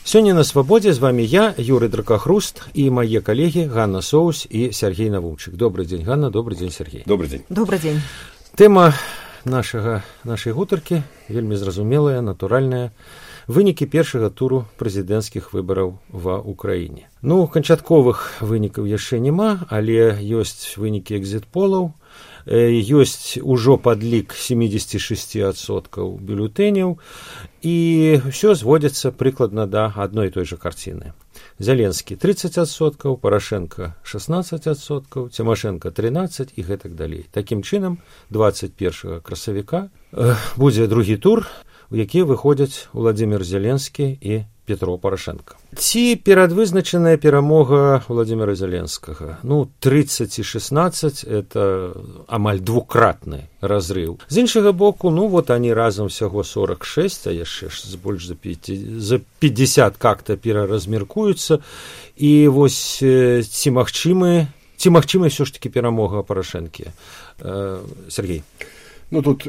Сёння на свабодзе з вами я, Юрий Дракахруст, і мае калегі Ганна Соус і Сергей Навумчык. Добрый дзень, Ганна, добрый дзень, Сергей. Добрый дзень. Добрый дзень. Тэма нашай гутаркі вельмі зразумелая, натуральная. Вынікі першага туру прэзідэнцкіх выбараў ва Ўкраіне. Канчатковых вынікаў яшчэ няма, але ёсць вынікі экзіт-полаў, ёсць ужо падлік 76% бюлетэняў, і ўсё зводзіцца прыкладна да адной і той жа карціны. Зеленскі 30%, Парашенко 16%, Цімашенко 13% і гэтак далей. Такім чынам, 21 красавіка будзе другі тур, у які выходзяць Владимир Зеленскі і Петро Порошенко. Ці перадвызначаная перамога Владимира Зеленскага? 30 і 16 – это амаль двукратны разрыв. З іншага боку, они разам всяго 46, а яшчэ больш за 50 как-то пераразмеркуюцца. І вось ці магчымы ўсё ж такі перамога Порошенкі? Сергей. Тут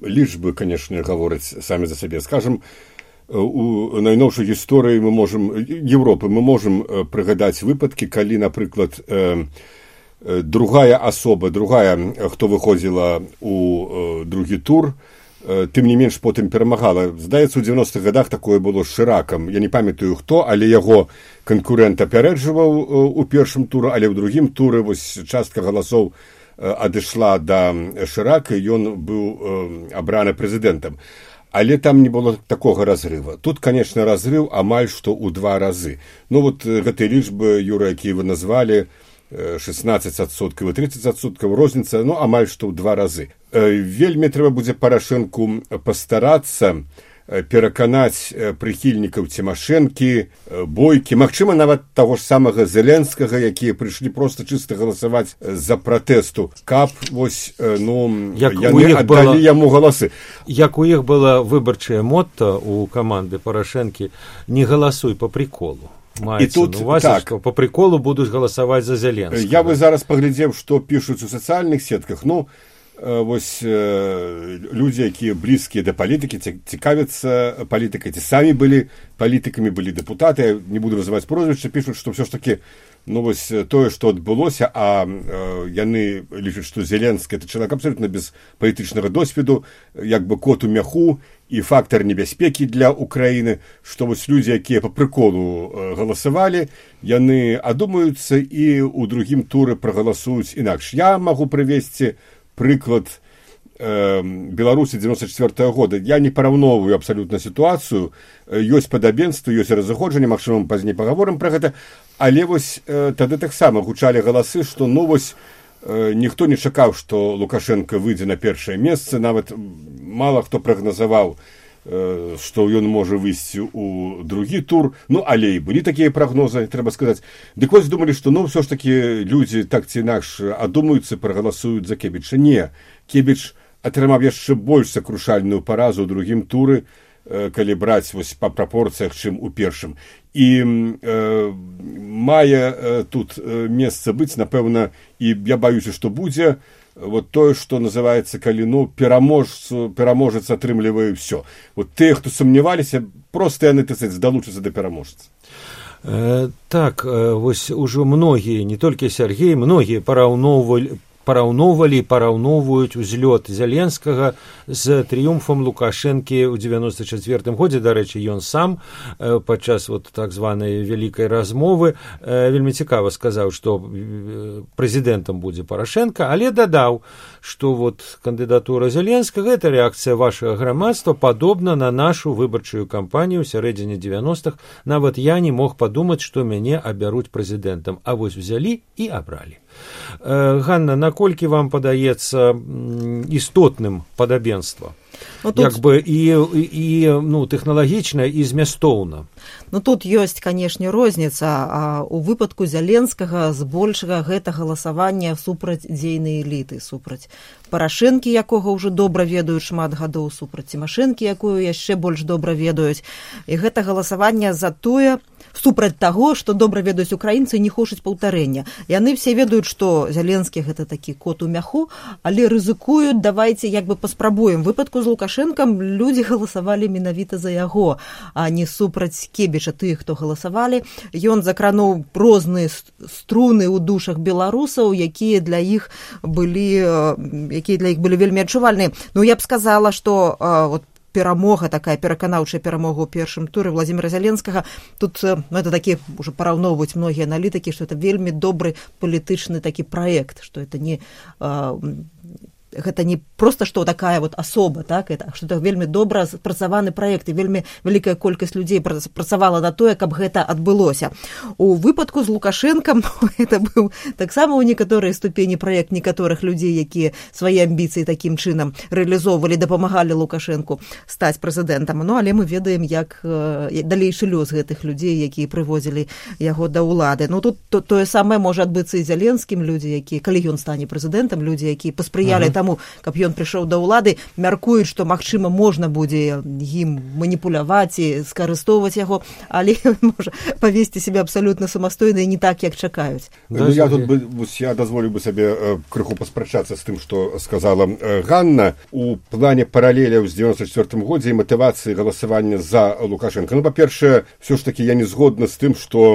лічбы, конечно, гавораць самі за сябе. Скажем, у найноўшай гісторыі Европы мы можам прыгадаць выпадкі, калі, напрыклад, другая асоба, хто выходзіла у другі тур, тым не менш потым перамагала. Здаецца, у 90-х гадах такое было з Шыракам. Я не памятаю хто, але яго канкурэнт апярэджваў у першым туры, але ў другім туры вось частка галасоў адышла да Шырака, і ён быў абраны прэзідэнтам. Але там не было такога разрыва. Тут, конечно, разрыв амаль што ў 2 разы. Гэтыя лічбы, Юра, якія вы назвалі, 16% і 30%, розніца, амаль што ў 2 разы. Вельмі трэба будзе Парашэнку пастарацца пераканаць прыхільнікаў Цімашэнкі, Бойкі, магчыма, нават таго ж самага Зеленскага, якія прыйшлі проста чыста галасаваць за пратэсту, каб яны аддалі яму галасы. Як у іх была выбарчае мотто у каманды Парашэнкі: не галасуй по приколу. Маецца на увазе, што по приколу будуць галасаваць за Зеленскага. Я бы зараз паглядзеў, што пішуць у сацыяльных сетках. Людзі, якія блізкія да палітыкі, цікавяцца палітыкай, ці самі былі палітыкамі, былі дэпутаты, не буду называць прозвішча, пішуць, што ўсё ж такі тое, што адбылося, а яны лічаць, што Зеленскі — это чалавек абсолютна без палітычнага досведу, як бы кот у мяху і фактар небяспекі для Украіны, што людзі, якія па прыколу галасавалі, яны адумаюцца і ў другім туры прагаласуюць інакш. Я магу прывесці прыклад Беларусі 94-го года. Я не параўноўваю абсалютна сітуацыю. Ёсць падабенствы, ёсць разыходжанне, магчыма, пазней пагаворым пра гэта. Але тады таксама гучалі галасы, што ніхто не чакаў, што Лукашенко выйдзе на першае месца. Нават мала хто прагназаваў, што ён можа выйсці ў другі тур. Але і былі такія прагнозы, трэба сказаць. Дык вось думалі, што ўсё ж такі людзі так ці інакш адумаюцца, прагаласуюць за Кебіча. Не, Кебіч атрымаў яшчэ больш сакрушальную паразу ў другім туры, калі браць па прапорцыях, чым у першым. І мае тут месца быць, напэўна, і я баюся, што будзе тое, што называецца, калі пераможец атрымлівае ўсё. Тыя, хто сумняваліся, проста яны, далучацца да пераможцы. Так, ужо многія, не толькі Сергей, многія параўноўваюць узлёт Зеленскага з трыумфам Лукашэнкі ў 94-м годзе. Дарэчы, ён сам падчас так званай вялікай размовы вельмі цікава сказаў, што прэзідэнтам будзе Парашенко, але дадаў, што кандыдатура Зеленскага — гэта рэакцыя вашага грамадства, падобна на нашу выбарчую кампанію ў сярэдзіне 90-х. Нават я не мог падумаць, што мяне абяруць прэзідэнтам, а взялі і абралі. Ганна, наколькі вам падаецца істотным падабенства? Як бы і тэхналагічна, і змястоўна. Тут ёсць, канешне, розніца. У выпадку Зеленскага збольшага гэта галасаванне супраць дзейнай эліты, супраць Парашэнкі, якога ўжо добра ведаюць шмат гадоў, супраць Цімашэнкі, якую яшчэ больш добра ведаюць. І гэта галасаванне за тое, супраць таго, што добра ведаюць украінцы і не хочуць паўтарэння. Яны все ведаюць, што Зеленскі — гэта такі кот у мяху, але рызыкуюць, давайце як бы паспрабуем. В выпадку з Лукашэнкам людзі галасавалі менавіта за яго, а не супраць Кебіча тых, хто галасавалі. Ён закрануў розныя струны ў душах беларусаў, якія для іх былі вельмі адчувальныя. Ну, я б сказала, што вот перамога, такая пераканаўчая перамога ў першым туры Владзіміра Зяленскага, тут это такі ўжо параўноўваюць многія аналітыкі, што это вельмі добры палітычны такі праект, што это не гэта не проста што такая вот асоба, так, это што это вельмі добра спрацаваны праект і вельмі вялікая колькасць людзей працавала на тое, каб гэта адбылося. У выпадку з Лукашэнкам это быў таксама ў некаторай ступені праект некаторых людзей, якія свае амбіцыі такім чынам рэалізоўвалі, дапамагалі Лукашэнку стаць прэзідэнтам. Ну, але мы ведаем, як далейшы лёс гэтых людзей, якія прывозілі яго да ўлады. Ну, тут тое самае можа адбыцца і Зяленскім, людзі, якія, калі ён стане прэзідэнтам, людзі, якія паспрыялі таму, каб ён прыйшоў да ўлады, мяркуюць, што, магчыма, можна будзе ім маніпуляваць і скарыстоўваць яго, але можа павесці сябе абсалютна самастойна і не так, як чакаюць. Ну, я дазволю бы сабе крыху паспрачацца з тым, што сказала Ганна. У плане паралеляў з 94 годзе і матывацыі галасавання за Лукашенко. Ну, па-першае, все ж таки я не згодна з тым, што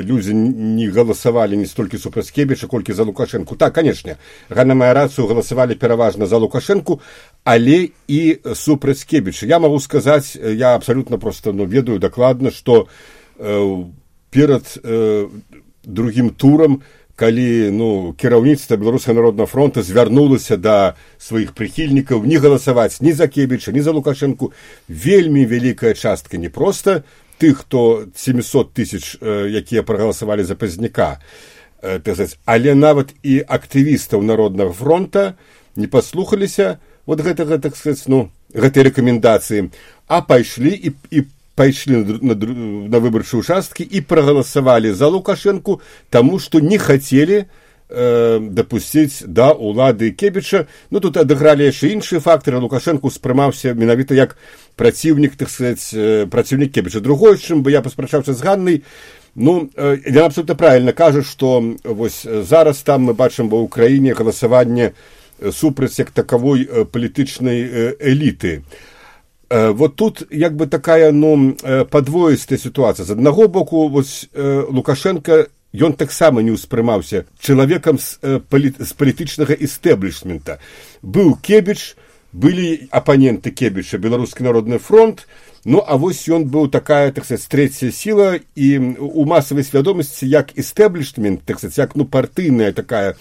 людзі не галасавалі не столькі супраць Кебіча, колькі за Лукашенко. Так, канешне, Ганна мае рацыю, галасавалі пераважна за Лукашенко, але і супраць Кебіча. Я магу сказаць, я абсалютна проста ведаю дакладна, што перад другім турам, калі кіраўніцтва Беларускага народнага фронта звярнулася да сваіх прыхільнікаў не галасаваць ні за Кебіча, ні за Лукашенко, вельмі вялікая частка не проста тых, хто 700 тысяч, якія прагаласавалі за Пазняка, але нават і актывістаў Народнага фронта не паслухаліся вот гэтага, так сказаць, гэтай рэкамендацыі, а пайшлі на выбарчыя участкі і прагаласавалі за Лукашенко, таму што не хацелі дапусціць да ўлады Кебіча. Ну, тут адыгралі яшчэ іншыя фактары. Лукашенко успрымаўся менавіта як праціўнік, так сказаць, праціўнік Кебіча. Другое, чым бы я паспрачаўся з Ганнай, яна абсолютно правильно кажа, што вось зараз там мы бачым ва ўкраіне галасаванне супраць як таковой палітычнай эліты. Вот тут як бы такая падвоістая сітуацыя. З аднаго боку, вось Лукашенко, ён таксама не ўспрымаўся чалавекам з палітычнага эстэблішмента. Быў Кебіч, былі апаненты Кебіча, Беларускі народны фронт, а вось ён быў такая, так сказаць, трэцяя сіла, і у масавай свядомасці як эстэблішмент, так сказаць, як партыйная такая,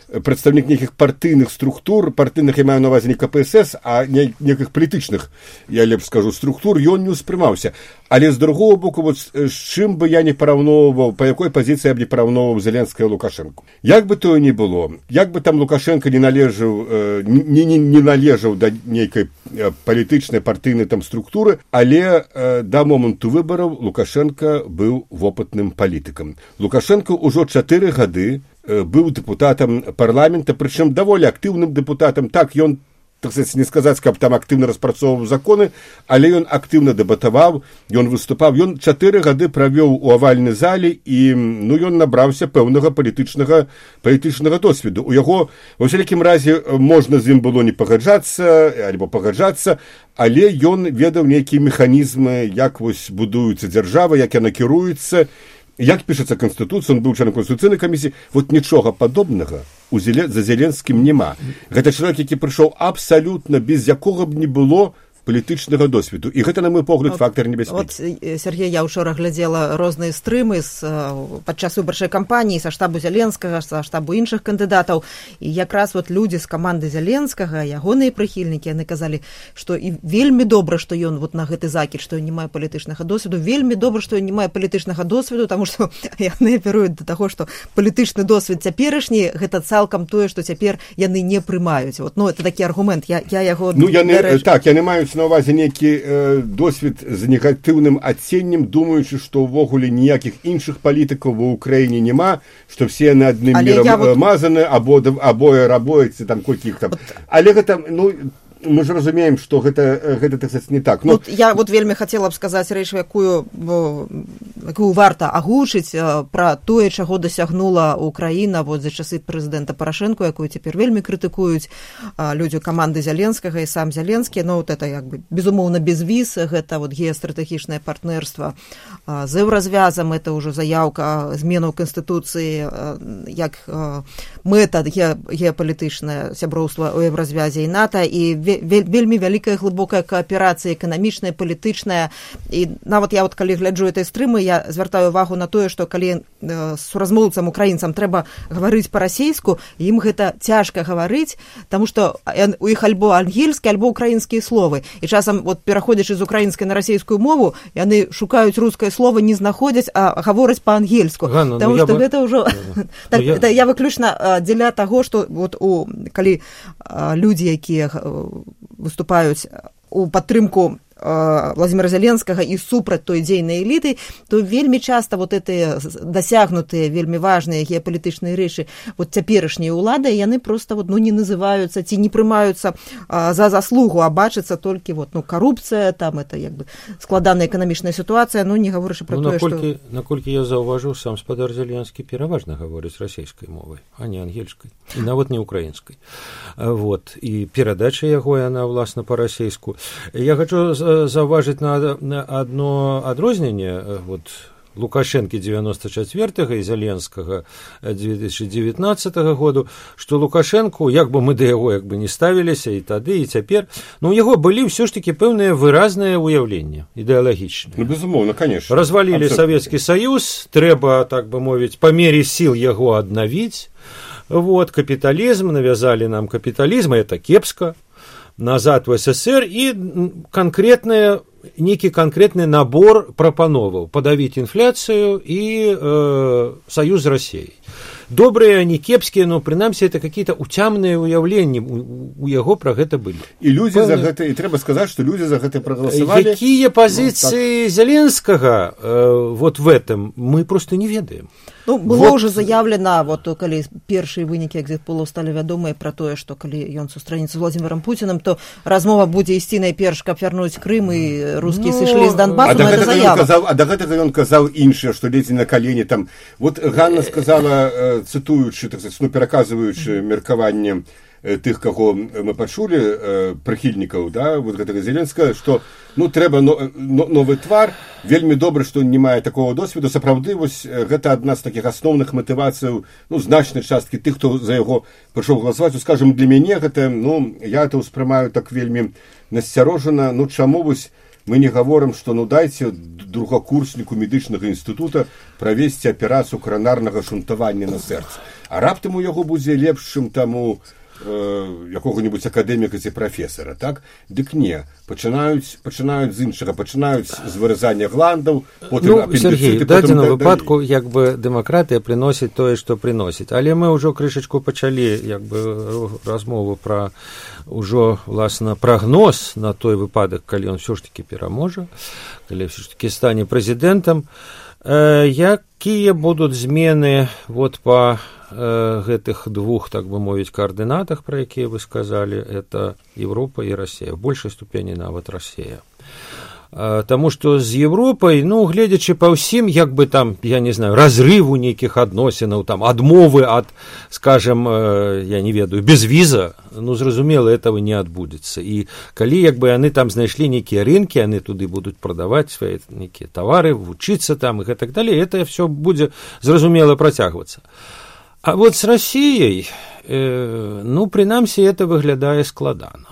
прадстаўнік нейкіх партыйных структур, партыйных, я маю на увазе не КПСС, а нейкіх палітычных, я лепш скажу, структур, ён не ўспрымаўся. Але з другого боку, вот, з чым бы я не параўноўваў, па якой пазіцыі я б не параўноўваў Зеленскага і Лукашенко. Як бы тое ні было, як бы там Лукашенко не належаў да нейкай палітычнай партыйнай там структуры, але да моманту выбараў Лукашенко быў вопытным палітыкам. Лукашенко ўжо 4 гады быў дэпутатам парламента, прычым даволі актыўным дэпутатам. Так, ён, так сказаць, не сказаць, каб там актыўна распрацоўваў законы, але ён актыўна дэбатаваў, ён выступаў. Ён 4 гады правёў у авальнай зале, і ён набраўся пэўнага палітычнага досведу. У яго, ва ўсялякім разе, можна з ім было не пагаджацца, альбо пагаджацца, але ён ведаў нейкія механізмы, як вось будуецца дзяржава, як яна кіруецца, як пішацца Канстытуцыя, он быў членам Конституцыйнай камісіі. Вот нічога падобнага за Зеленскім няма. Гэта чалавек, які прыйшоў абсалютна без якога б не было палітычнага досведу. І гэта, на мой погляд, фактор небяспекі. Вот, Сергей, я ўчора глядзела розныя стрымы падчас выбарчай кампаніі са штабу Зеленскага, са штабу іншых кандыдатаў. І якраз вот людзі з каманды Зеленскага, ягоныя прыхільнікі, яны казалі, што і вельмі добра, што ён вот на гэты закід, што ён не мае палітычнага досведу, вельмі добра, што ён не мае палітычнага досведу, таму што яны апелююць да таго, што палітычны досвед цяперашні, гэта цалкам тое, што цяпер яны не прымаюць. Вот, это такі аргумент. Я яго... яны маюць на ўвазе нейкі досвед з негатыўным адценнем, думаючы, што ўвогуле ніякіх іншых палітыкаў ва ўкраіне няма, што все яны адным мірам мазаны, абое рабояць, там колькі іх там. Але гэта, мы ж разумеем, што гэта так сказаць, не так. Я вот вельмі хацела б сказаць рэч, якую якую варта агучыць пра тое, чаго дасягнула Украіна вот за часы прэзідэнта Парашэнка, якую цяпер вельмі крытыкуюць людзі каманды Зяленскага і сам Зяленскі. Ну вот это як бы безумоўна без віз, гэта вот геастратэгічнае партнерства з еўразвязам, это ўжо заяўка зменаў канстытуцыі як мэта геапалітычнае сяброўства ў еўразвязе і НАТО, і вельмі вялікая глыбокая кааперацыя эканамічная, палітычная. І нават я вот калі гляджу этой стрымы, я звяртаю увагу на тое, што калі суразмоўцам украінцам трэба гаварыць па-расейску, ім гэта цяжка гаварыць, таму што у іх альбо ангельскія, альбо украінскія словы. І часам вот пераходзячы з украінскай на расейскую мову, яны шукаюць рускае слово, не знаходзяць, а гавораць па-ангельску. Таму што гэта ўжо я выключна дзеля таго, што вот калі людзі, якія выступаюць у падтрымку Владимира Зеленскага і супраць той дзейнай эліты, то вельмі часта вот гэтыя дасягнутыя, вельмі важныя геапалітычныя рэчы вот цяперашнія ўлады, яны просто вот, не называюцца ці не прымаюцца за заслугу, а бачыцца толькі вот, карупцыя, там это як бы складаная эканамічная сітуацыя, не гаворышы пра тое, што... Наколькі я заўважыў, сам спадар Зеленскі пераважна гаворыць расійскай мовай, а не ангельскай, і нават не украінскай. Вот. І перадача яго, яна, власна, па-расейску. Я хочу заўважыць на одно адрозненне вот Лукашэнкі 94-го і Зеленскага 2019 году, што Лукашэнку, як бы мы да яго як бы не ставіліся і тады, і цяпер, у яго былі ўсё ж такі пэўныя выразныя ўяўленні ідэалагічныя. Безумоўна, конечно. Развалілі Савецкі Саюз, трэба, так бы мовіць, па мере сіл яго аднавіць. Вот, капіталізм, навязалі нам капіталізм, это кепска. Назад в СССР і нейкі канкрэтны набор прапановаў падавіць інфляцыю і саюз з Расіяй. Добрыя, не кепскія, но прынамсі это какие-то уцямныя ўяўленні у яго пра гэта былі. І людзі за гэта, і трэба сказаць, што людзі за гэта прагаласавалі. Якія пазіцыі Зеленскага вот в этом мы просто не ведаем. Было ўжо заявлена, вот калі першыя вынікі экзіт-полаў сталі вядомыя пра тое, што калі ён сустрэнецца з Владимиром Путиным, то размова будзе ісці найперш, каб вярнуць Крым, і рускія сышлі з Донбасу, гэта заява. А да гэтага ён казаў іншае, што ледзь на калені там. Вот Ганна сказала, цытуючы, так сказать, пераказваючы меркаванне тых, каго мы пачулі, прыхільнікаў, да, вот гэтага Зеленскага, што трэба новы твар, вельмі добра, што не мае такого досведу. Сапраўды, вось гэта адна з такіх асноўных матывацыяў, значнай часткі тых, хто за яго прыйшоў галасаваць. Скажем, для мяне гэта, я это ўспрымаю так вельмі насцярожана. Чаму вось мы не гаворым, што дайце другакурсніку медычнага інстытута правесці аперацыю коронарнага шунтавання на сэрца. А раптам у яго будзе лепш, чым таму якога-небудзь акадэміка ці прафесара, так? Дык не. Пачынаюць з іншага, пачынаюць з выразання гландаў, потым апендыцыты. Сергей, в дадзеным выпадку, як бы дэмакратыя прыносіць тое, што прыносіць. Але мы ўжо крышачку пачалі, як бы, размову пра ўжо, власна, прагноз на той выпадак, калі ён ўсё ж такі пераможа, калі ўсё ж такі стане прэзідэнтам. Якія будуць змены вот па гэтых двух, так бы мовіць, координатах, про якія вы сказали, это Европа и Россия, в большей ступені нават Россия. Таму што з Европай, гледзячы па ўсім, як бы там, я не знаю, разрыву нейкіх адносінаў, там, адмовы ад, скажем, я не ведаю, без віза, зразумела, этого не адбудзецца. І калі, як бы, яны там знайшлі нейкія рынкі, яны туды будуць прадаваць свае нейкія тавары, вучыцца там і так далее, это все будзе, зразумела, працягвацца. А вот с Россией, прынамсі, это выглядае складана.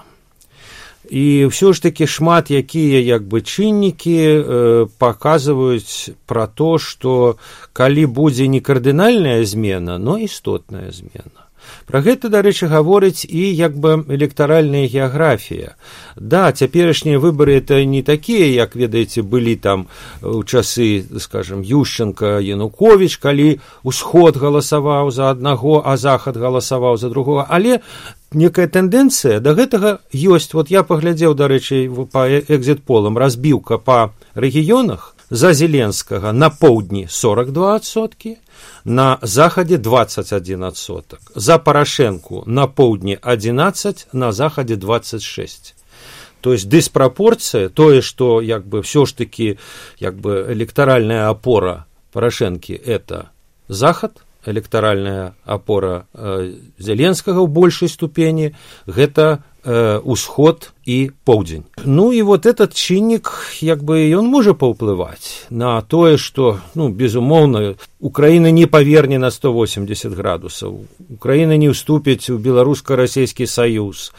І ўсё ж такі шмат якія, як бы, чыннікі паказваюць пра то, што калі будзе не кардынальная змена, но істотная змена. Пра гэта, дарэчы, гаворыць і, як бы, электаральная геаграфія. Да, цяперашнія выбары это не такія, як, ведаеце, былі там у часы, скажем, Ющенко, Янукович, калі ўсход галасаваў за аднаго, а захад галасаваў за другога, але некая тэндэнцыя да гэтага ёсць. Вот я паглядзеў, дарэчы, па экзіт-полам, разбіўка па рэгіёнах. За Зеленскага на поўдні 42%, на захадзе 21%. За Парашэнку на поўдні 11%, на захадзе 26%. То есть диспропорция, тое, што як бы все ж таки як бы электоральная опора Порошенки это Захад, электоральная опора Зеленскага ў большай ступені гэта усход і поўдзень. Ну і вот этот чыннік як бы ён можа паўплываць на тое, што безумоўна Украіна не паверне на 180 градусаў, Украіна не ўступіць у беларуска-расійскі саюз,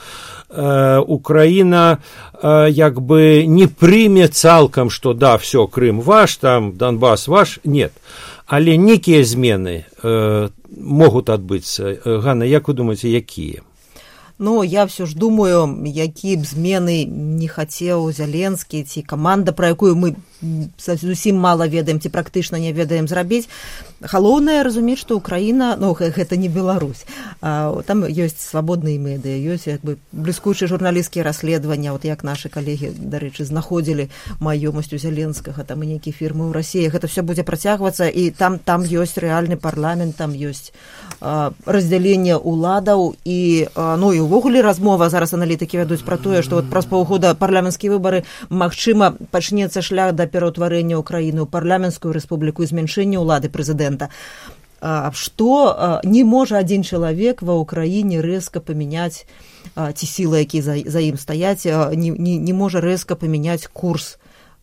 Украіна як бы не прыме цалкам, што да, все, Крым ваш, там Донбас ваш, нет. Але некія змены могуць адбыцца. Ганна, як вы думаеце, якія? Ну, я все ж думаю, які б змены не хацеў Зеленскі, ці каманда, пра якую мы зусім мала ведаем, ці практычна не ведаем зрабіць. Галоўнае разумець, што Украіна, гэта не Беларусь. Там ёсць свабодныя медыа, ёсць як бы бліскучыя журналісцкія расследавання, як нашы калегі, дарэчы, знаходзілі маёмасць у Зеленскага, там і нейкія фірмы ў Расіі. Гэта все будзе працягвацца, і там ёсць рэальны парламент, там ёсць раздзяленне ўладаў, і увогуле размова зараз аналітыкі вядуць пра тое, што праз паўгода парламенцкія выбары, магчыма, пачнецца шлях да пераўтварэння Украіны ў парламенцкую рэспубліку і змяншэння ўлады прэзідэнта. Што не можа адзін чалавек ва Ўкраіне рэзка памяняць, ці сілы, якія за ім стаяць, не можа рэзка памяняць курс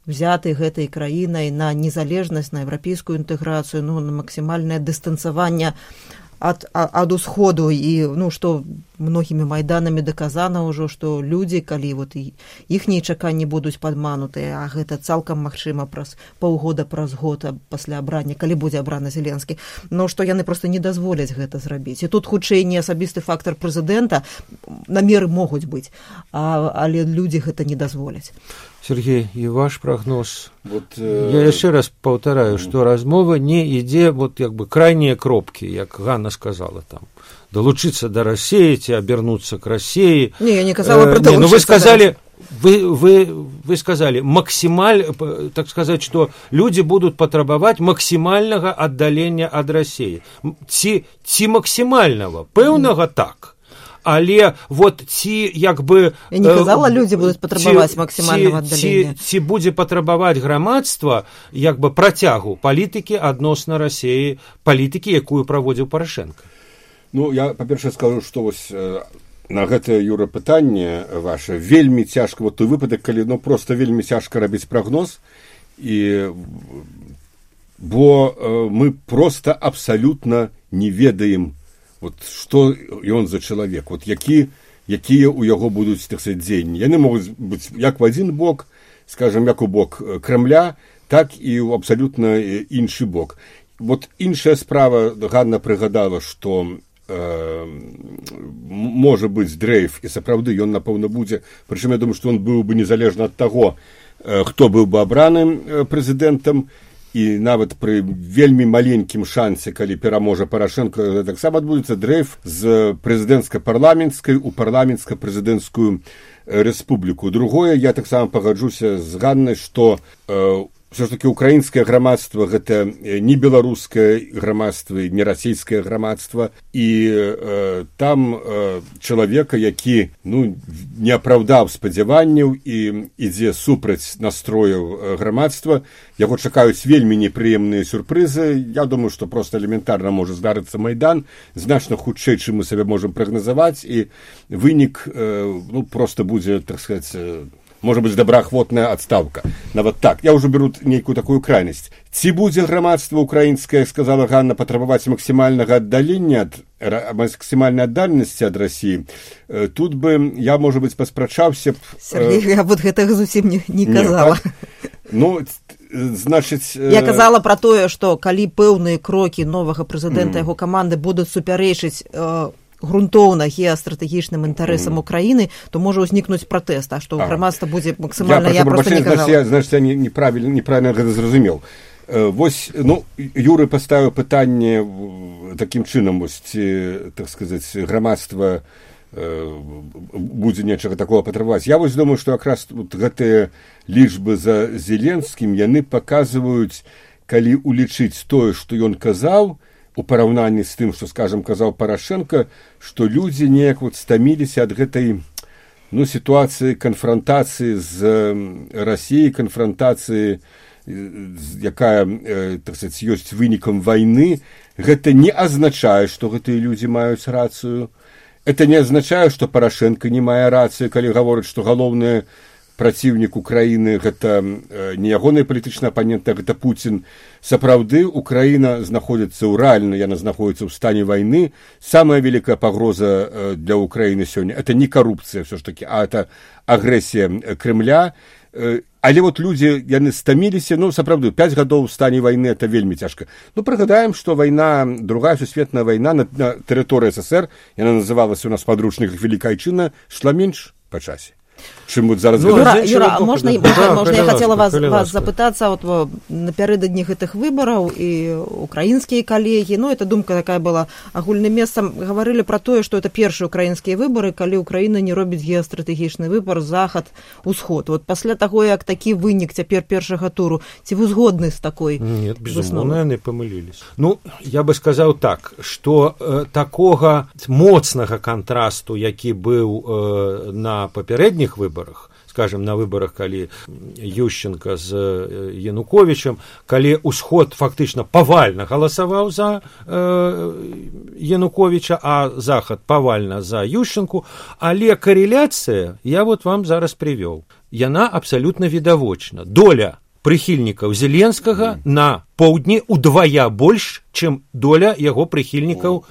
взяты гэтай краінай на незалежнасць, на еўрапейскую інтэграцыю, на максімальнае дыстанцаванне ад усходу, і што многімі майданамі даказана ўжо, што людзі, калі іхнія чаканні будуць падманутыя, а гэта цалкам магчыма праз паўгода, праз год пасля абрання, калі будзе абраны Зеленскі, што яны проста не дазволяць гэта зрабіць. І тут хутчэй не асабісты фактар прэзідэнта, намеры могуць быць, але людзі гэта не дазволяць. Сергей, и ваш прогноз? Я еще раз повторяю, что размова не ідзе как бы крайние кропки, как Ганна сказала там. Долучиться до России, обернуться к России. Не, я не сказала про долучиться. Но вы сказали, вы сказали так сказать, что люди будут потребовать максимального отдаления от России. Ці максимального, пэўнага так. Але ці як бы... Я не казала, людзі будуць патрабаваць максімальнага аддалення. Ці будзе патрабаваць грамадства як бы працягу палітыкі адносна Расіі, палітыкі, якую праводзіў Парашенко? Я, па-першае, скажу, што на гэтае, Юра, пытанне ваше вельмі цяжка, той выпадак, калі проста вельмі цяжка рабіць прагноз, бо мы проста абсалютна не ведаем, што ён за чалавек, якія ў яго будуць, так сказать, дзеянні. Яны могуць быць як в адзін бок, скажем, як у бок Крамля, так і ў абсалютна іншы бок. Іншая справа, Ганна прыгадала, што можа быць дрейф, і сапраўды ён, напэўна, будзе, прычым я думаю, што ён быў бы незалежна ад таго, хто быў бы абраным прэзідэнтам, і нават пры вельмі маленькім шансе, калі пераможа Парашенко, таксама адбудзецца дрейф з прэзідэнцка-парламенцкай у парламенцка-прэзідэнцкую рэспубліку. Другое, я таксама пагаджуся з Ганнай, што все ж таки украінскае грамадства гэта не беларускае грамадства, не расійскае грамадства, і там чалавека, які не апраўдаў спадзяванняў і ідзе супраць настрояў грамадства, яго чакаюць вельмі непрыемныя сюрпрызы. Я думаю, што проста элементарна можа здарыцца Майдан значна хутчэй, чым мы сабе можам прагназаваць, і вынік проста будзе, так сказать, может быть, добраахвотная отставка. Нават так. Я уже беру нейкую такую крайнасць. Ці будзе грамадства украінскае, сказала Ганна, патрабаваць максімальнага аддалення, максімальнай аддаленасці ад Расіі. Тут бы я, может быть, паспрачаўся... Сергей, я гэтага зусім не казала. Значыць... Я казала пра тое, што калі пэўныя крокі новага прэзідэнта яго каманды будуць супярэчыць грунтоўна геастратэгічным інтарэсам Украіны, то можа ўзнікнуць пратэст, а што грамадства будзе максімальна... Я проста не казала. Значыць, я неправільна гэта зразумеў. Юры паставіў пытанне такім чынам, так сказаць, грамадства будзе нечага такого патрабаваць. Я думаю, што якраз гэтыя лічбы за Зеленскім, яны паказваюць, калі улічыць тое, што ён казаў, у параўнанні з тым, што, скажам, казаў Парашенко, што людзі неяк стаміліся ад гэтай сітуацыі канфрантацыі з Расіяй, канфрантацыі, якая, так сказать, ёсць вынікам вайны, гэта не азначае, што гэтыя людзі маюць рацыю. Это не азначае, што Парашенко не мае рацыю, калі гаворыць, што галоўны праціўнік Украіны гэта не ягоны палітычны апанент, а гэта Пуцін. Сапраўды, Украіна знаходзіцца рэальна, яна знаходзіцца ў стане вайны. Самая вялікая пагроза для Украіны сёння это не карупцыя ўсё ж такі, а это агрэсія Крэмля. Але вот людзі, яны стаміліся, сапраўды, 5 гадоў ў стане вайны это вельмі цяжка. Прыгадаем, што вайна, другая сусветная вайна на тэрыторыі СССР, яна называлася у нас в падручніках Великая Отчина, шла менш па часе. Чым вот зараз Юра, можна я хацела вас запытацца напярэдадні гэтых выбараў і украінскія калегі, это думка такая была агульным месцам, гаварылі пра тое, што это першыя украінскія выбары, калі Украіна не робіць геастратэгічны выбар захад-усход. Вот пасля таго, як такі вынік цяпер першага туру, ці вы згодны з такой высновай? Нет, безумоўна, яны памыліліся. Я бы сказаў так, што такога моцнага кантрасту, які быў на папярэдніх выборах, скажем, на выборах, калі Ющенко з Януковичем, калі ўсход фактычна павальна галасаваў за Януковича, а захад павальна за Ющенку, але карэляцыя, я вот вам зараз прывёў, яна абсалютна відавочна. Доля прыхільнікаў Зеленскага на поўдні удвая больш, чым доля яго прыхільнікаў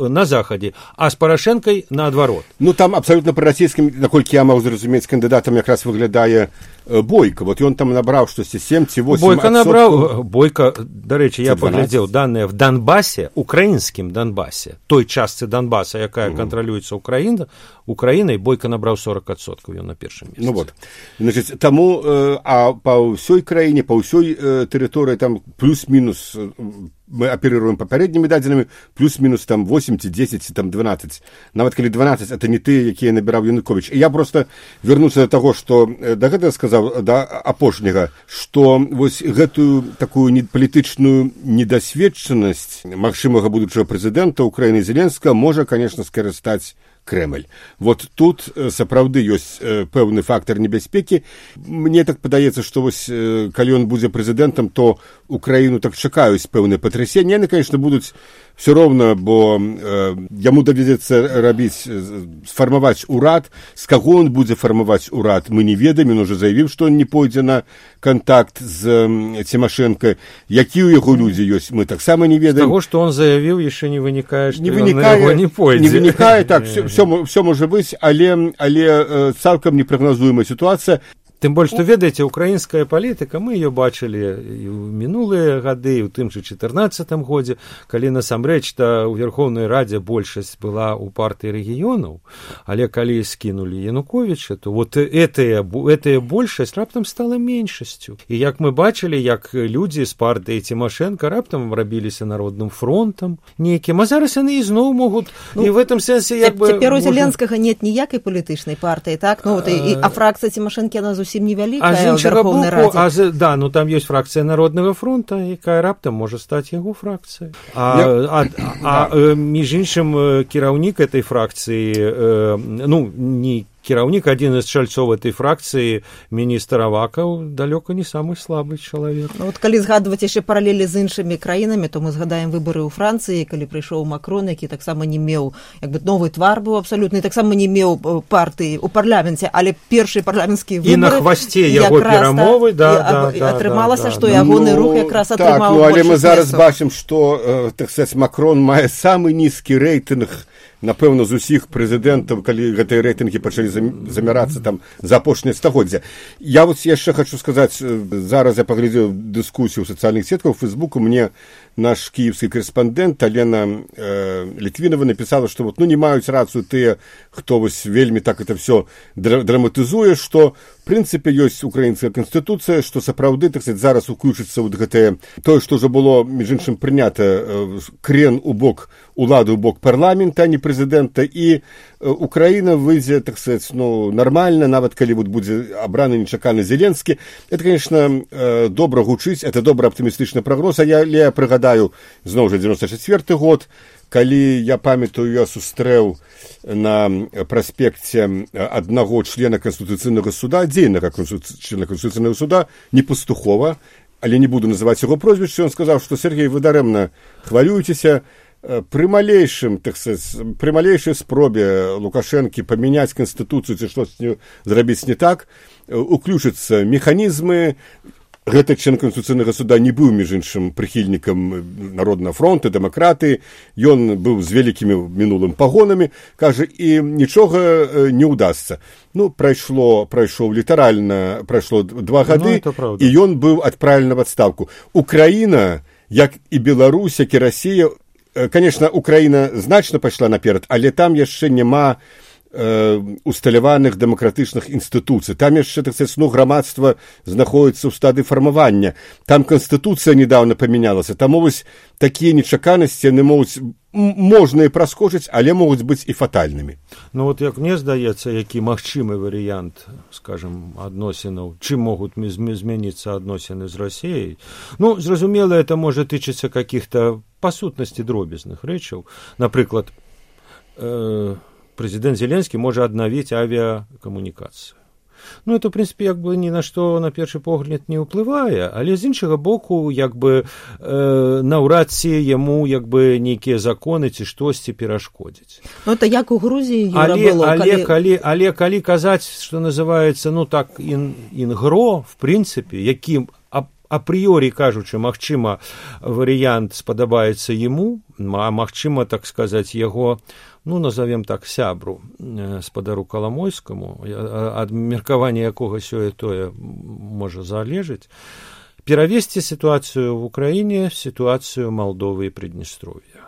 на захадзе, а з Парашэнкай наадварот. Там абсалютна прарасійскім, наколькі я магу зразумець, кандыдатам якраз выглядае Бойко. Вот ён там набраў штосьці 7 ці 8%. Бойко набраў, дарэчы, я паглядзеў даныя в Донбасе, украінскім Донбасе, той частцы Донбаса, якая кантралюецца Украінай, Бойко набраў 40%, ён на першым месцы. Вот. Значыць, таму, а па ўсёй краіне, па ўсёй тэрыторыі там плюс-мінус, мы аперируем папярэднімі дадзенымі, плюс-мінус там 8 ці 10 ці там 12. Нават калі 12, это не тыя, якія набіраў Янукович. І я просто вернуся до таго, што да гэтага сказаў, да апошняга, што вось гэтую такую палітычную недасведчанасць магчымага будучага прэзідэнта Украіны Зеленскага можа, конечно, скарыстаць Крэмль. Вот тут сапраўды ёсць пэўны фактар небяспекі. Мне так падаецца, што вось калі ён будзе прэзідэнтам, то Украіну так чакаюць пэўныя патрясенні. Яны, конечно, будуць все роўна, бо яму давядзецца сфармаваць урад. З каго ён будзе фармаваць урад, мы не ведаем. Ён уже заявіў, што он не пойдзе на контакт з Тимошенко. Які ў яго людзі ёсць, мы таксама не ведаем. З таго, што он заявіў, яшчэ не вынікае, што ён на яго не пойдзе. Не вынікае, так, все можа быць, але цалкам непрагназуемая сітуацыя. Тым больш, што, ведаеце, украінская палітыка, мы ее бачылі і ў мінулыя гады, і ў тым же 14 годзе, калі насамрэч-то ў Верховнай Радзе большасць была ў партыі рэгіёнаў, але калі скінулі Януковича, то вот этая большасць раптам стала меншасцю. І як мы бачылі, як людзі з партыі Тимошенко раптам рабіліся народным фронтам нейкім, а зараз яны ізноў могуць, і в этом сэнсе як бы... Цяпер у Зеленскага нет ніякай палітычнай партыі, так? А фракцыя Тимошенко, яна зусім невялікая ў Верховнай Радзе. Да, там ёсць фракцыя Народнага фронта, якая раптам можа стаць яго фракцыяй. Між іншым, кіраўнік этой фракцыі, не кіраўнік, адзін з чальцоў этой фракцыі, міністр Авакаў, далёка не самы слабы чалавек. Вот калі згадваць яшчэ паралелі з іншымі краінамі, то мы згадаем выбары ў Францыі, калі прыйшоў Макрон, які таксама не меў, як бы новы твар быў абсалютны, таксама не меў партыі ў парламенце, але першыя парламенцкія выбары... І на хвасце яго перамовы, атрымалася, што ягоны рух якраз атрымаў больш. Але мы зараз бачым, што, так сказаць, Макрон мае самы нізкі рэйтынг, напэўна, з усіх прэзідэнтаў, калі гэтыя рэйтынгі пачалі замярацца там за апошняе стагоддзя. Я вот яшчэ хочу сказаць, зараз я паглядзеў дыскусію ў сацыяльных сетках, у Фейсбуку мне наш кіевскі корэспандэнт Алена Літвінова напісала, што не маюць рацыю тыя, хто вось вельмі так это все драматызуе, што в прынцыпе ёсць украінская канстытуцыя, што сапраўды, так сказаць, зараз уключыцца вот гэтае тое, што ўжо было між іншым прынята крен у бок улады, у бок парламента, а не прэзідэнта, і Украіна выйдзе, так сказать, ну, нармальна, нават калі вот будзе абраны нечаканы Зеленскі. Это, конечно, добра гучыць, это добра аптымістычны прагноз, а я прыгадаю зноў жа 94 год, калі я памятаю, я сустрэў на праспекце аднаго члена Канстытуцыйнага суда, дзейнага члена Канстытуцыйнага суда, не Пастухова, але не буду называць яго прозвішча, ён сказаў, што Сергей, вы дарэмна хвалюецеся, пры малейшай спробе Лукашэнкі памяняць Канстытуцыю ці штосьці зрабіць не так, уключацца механізмы. Гэты член Конституцыйнага суда не быў, між іншым, прыхільнікам Народнага фронта, дэмакратыі, ён быў з вялікімі мінулым пагонамі, кажа, і нічога не ўдасца. Ну, прайшло 2 гады, і ён быў адправлены в адстаўку. Украіна, як і Беларусь, як і Расія, конечно, Украіна значна пайшла наперад, але там яшчэ няма усталяваных дэмакратычных інстытуцый. Там яшчэ, так сказать, ну, грамадства знаходіцца ў стадыі фармавання. Там Канстытуцыя недавно памянялася. Там вось такія нечаканасці, яны могуць, можна і праскочыць, але могуць быць і фатальнымі. Ну, вот як мне здаецца, які магчымы варыянт, скажем, адносінаў, чым могуць змяніцца адносіны з Расіяй. Ну, зразумела, это можа тычыцца каких-то па сутнасці дробязных рэчаў. Напрыклад, президент Зеленский может аднавіць авіакамунікацыю. Ну, это, в принципе, як бы ні на што, на першы погляд, не ўплывае, але з іншага боку, як бы, наўрад ці яму, як бы, нейкія законы ці штосьці перашкодзіць. Ну, это як у Грузіі было. Але калі казаць, што называецца, ну, так, інгро, в принципе, якім апрыёрі кажучы, магчыма, варыянт спадабаецца яму, а магчыма, так сказаць, яго, ну, назовем так, сябру, спадару Каламойскаму, ад меркавання якога сёе-тое можа залежыць, перавесці сітуацыю в Украіне в сітуацыю Молдовы і Приднестровья.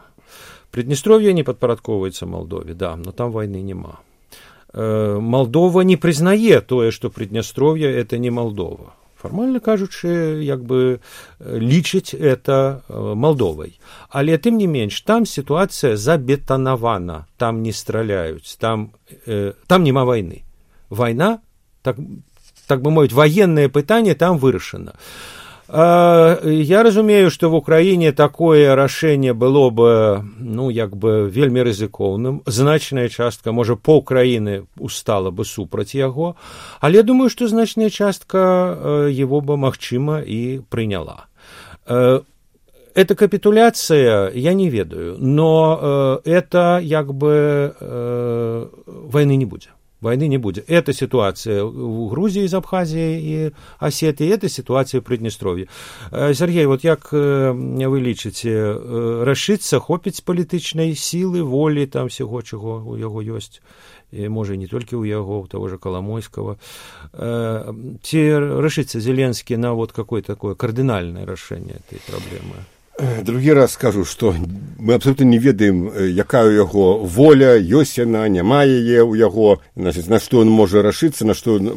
Приднестровье не падпарадковваецца Молдове, да, но там войны няма. Молдова не прызнае тое, што Приднестровье это не Молдова. Формально кажучы, як бы лічыць это Молдовай. Але тым не менш, там сітуацыя забетанавана, там не страляюць, там нема вайны. Вайна, так бы мовіць, военное пытанне там вырашана. Я разумею, што в Украіне такое рашэнне было бы, ну, як бы вельмі рызыкоўным. Значная частка, можа, паўкраіны устала бы супраць яго, але думаю, што значная частка его бы, магчыма, і прыняла. Это капитуляция, я не ведаю, но это, як бы, войны не будет. Войны не будет. Это ситуация в Грузии с Абхазией и Осетией, это ситуация в Приднестровье. Сергей, вот як вы лічыце, рашыцца, хопіць палітычнай сілы, волі, там всего, чего у яго ёсць, і, можа, не толькі у яго, у того же Коломойского. Ці рашыцца Зеленскі на вот какое-то такое кардынальное рашэнне этой праблемы? Другі раз скажу, што мы абсолютно не ведаем, якая у яго воля, ёсць яна, няма яе ў яго, значит, на што ён можа рашыцца, на што ён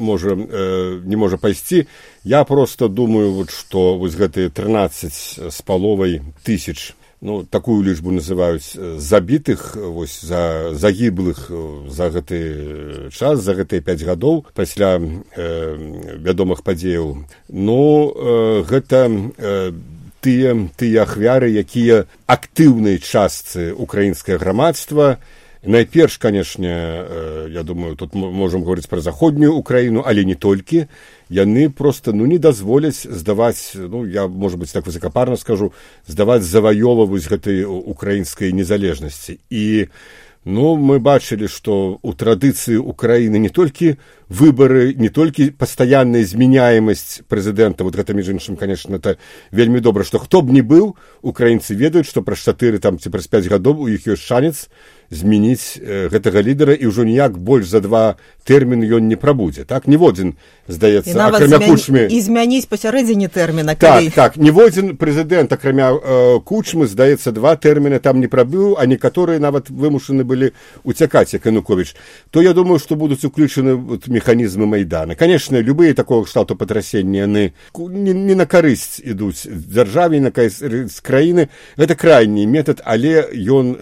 не можа пайсці. Я просто думаю, вот, што вось гэтыя 13,5 тысяч, ну, такую лічбу называюць, забітых, вось, загіблых за гэты час, за гэтыя 5 гадоў пасля вядомых падзеяў. Ну, гэта тыя ахвяры, якія актыўнай частцы украінскае грамадства. Найперш, канешне, я думаю, тут можам гаварыць пра заходнюю Украіну, але не толькі. Яны проста, ну, не дазволяць здаваць, ну, я, можа быць, так высокапарна скажу, здаваць, заваёваць гэтай украінскай незалежнасці. І, ну, мы бачылі, што у традыцыі Украіны не толькі выборы, не толькі пастаянная зменяемасць прэзідэнта, вот гэта, між іншым, конечно, это вельмі добра, што хто б не быў, украінцы ведаюць, што праз 4 там, ці праз 5 гадоў у іх ёсць шанец змяніць гэтага лідара, і ўжо ніяк больш за 2 тэрміны ён не прабудзе. Так, ніводзін, здаецца, акрамя Кучмы... І змяніць пасярэдзіне тэрміна. Так, ніводзін прэзідэнт, акрамя Кучмы, здаецца, 2 тэрміны там не прабыў, а некаторыя нават вымушаны былі уцякаць, як Януковіч. То я думаю, што будуць уключаны механізмы Майдана. Конечно, любые такого кшталту патрасення не на карысць ідуць дзяржаве, на карысць краіны. Гэта крайні метад, але ён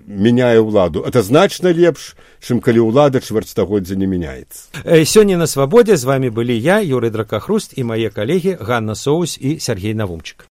мяняе ўладу. Это значна лепш, чым калі ўлада чвэрцьстагоддзя не мяняецца. Сёння на Свабодзе з вами былі я, Юрый Дракахруст, і мае калегі Ганна Соус і Сергей Навумчык.